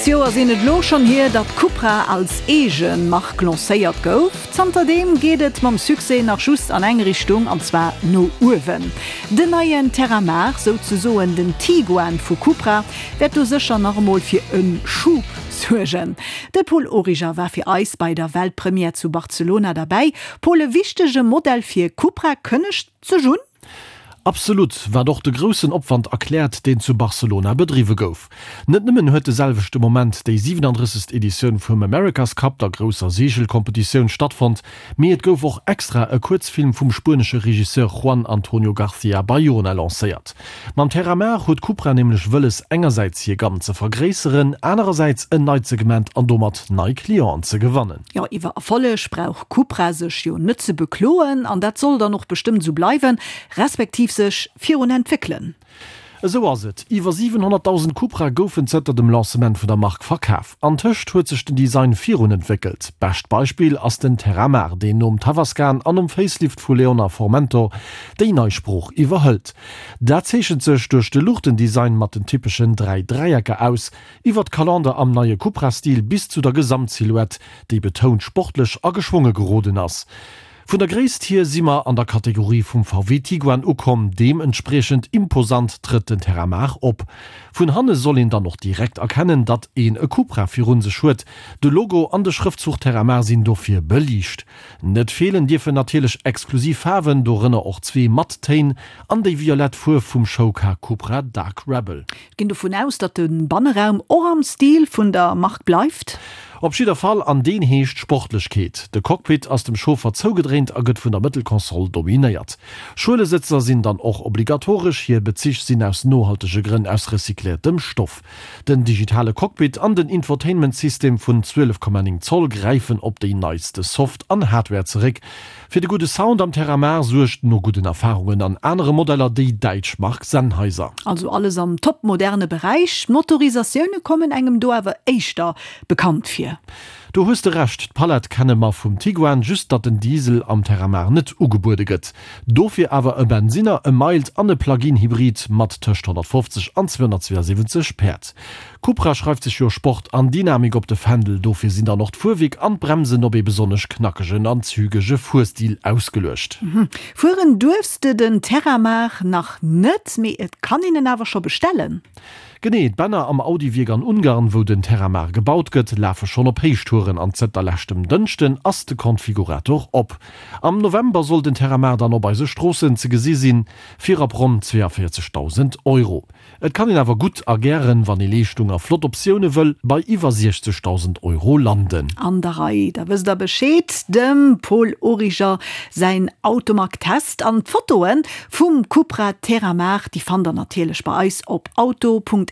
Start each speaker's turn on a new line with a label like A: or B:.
A: 6 Joer sinn et elo schonn hier, datt Cupra als eege Mark lancéiert gouf. Zanterdeem geet et mam Succès nach just an eng Richtung, an zwar no uewen. Den neien Terramar, souzesoen den Tiguan vu Cupra, wäert do sécher nach emol fir e Schub suergen. De Paul Origer war fir eis bei der Weltpremière zu Barcelona derbäi. Paul, e wichtege Modell fir Cupra kënnegt sech un?
B: Absolut, wat och de groussen Opwand erkläert, deen zu Barcelona bedriwwe gouf. Net nëmmen huet de selwechte Moment déi 37. Editioun vum America's Cup, der grousser Seegelkompetitioun, stattfonnt, mee et gouf och extra e Kuerzfilm vum spuenesche Regisseur Juan Antonio García Bayona lancéiert. Mam Terramar huet Cupra nämlech wëlles, engersäits hir Gamm ze vergréisseren, anerersäits en neit Segment an domat nei Clienten ze gewannen.
A: Jo, iwwer Erfolleg brauch Cupra sech jo net ze bekloen an dat soll dann och bestëmmt esou bleiwen, respektiv sech virun entwéckelen.
B: Esou ass et, iwwer 700.000 Cupra goufen zënter dem Lancement vun der Mark verkaf. Antëscht huet sech den Design virun entwéckelt. Bescht Beispill ass den Terramar, deen nom Tavascan an nom Facelift vu Leon a Formentor déi nei Sprooch iwwerhëlt. Dat zeechent sech duerch de Luuchtendesign mat den typeschen 3 Dräiecker aus, Iwwer d'Kalender am neie Cupra-Stil bis zu der Gesamtsilhouette, déi betount sportlech a geschwonge geroden ass. Vun der Gréisst hier si mer an der Kategorie vum VW Tiguan ukomm, deementspriechend imposant trëtt den Terramar op. Vun hanne soll een dann och direkt erkennen, datt een e Cupra virun sech huet, de Logo an de Schrëftzuch Terramar sinn dofir beliicht. Net feelen dierfen natierlech exklusiv Faarwen, dorënner och zwee matt Téin an déi violett Fuerf vum Showcar Cupra Dark Rebel.
A: Ginn dovun aus, datt de Banneraum och am Stil vun der Mark bleift.
B: Op jidder Fall, an deen heescht Sportlechkeet. De Cockpit ass dem Chauffer zougedréint a gëtt vun der Mëttelkonsole dominéiert. Schuelesëtzer sinn dann och obligatoresch, hir Bezich sinn aus nohaltege Grënn aus recycléiertem Stoff. Den digitale Cockpit an den Infotainment-System vun 12,9 Zoll gräifen op déi neiste Soft an Hardware zeréck, Fir de gudde Sound am Terramar suergt no gudden Erfarungen an anere Modeller déi däitsch Mark Sennheiser.
A: Also alles am topmoderne Beräich. D'Motorisatioune kommen engem do awer éischter bekannt vir.
B: Do hues de Recht, d'Palett kenne mer vum Tiguan, just datt den Diesel am Terramar net ugebuede gëtt. Dofir awer e Bensinner, e Mild an e Plug-in Hybrid mat tëscht 150 an 272 Päerd. Cupra schreift sech jo Sport an Dynamik op de Fändel, dofir sinn dann och d'Fuerwierk an d'Bremsen op ee besonnesch knackegen an zügege Fuerstil ausgeluecht.
A: Fueren duerfs de den Terramar nach net, mee et kann een en awer scho bestellen.
B: Genee, d'Bänner am Audi-Wierk an Ungarn, wou den Terramar gebaut gëtt, lafe schonn op Héichtouren an zënter leschtem Dënschden ass de Konfigurator op. Am November soll den Terramar dann op eise Stroossen ze gesi sinn, fir ab ronn 42.000 Euro. Et kann een awer gutt a gären, wann ee Leeschtung a flott Optioune wëll, bei iwwer 60.000 Euro landen.
A: An der Rei, da wësst der Bescheed, dem Paul Origer säin Automag-Test an d'Fotoe vum Cupra Terramar, déi fannt der natierlech bei eis op auto.rtl.lu.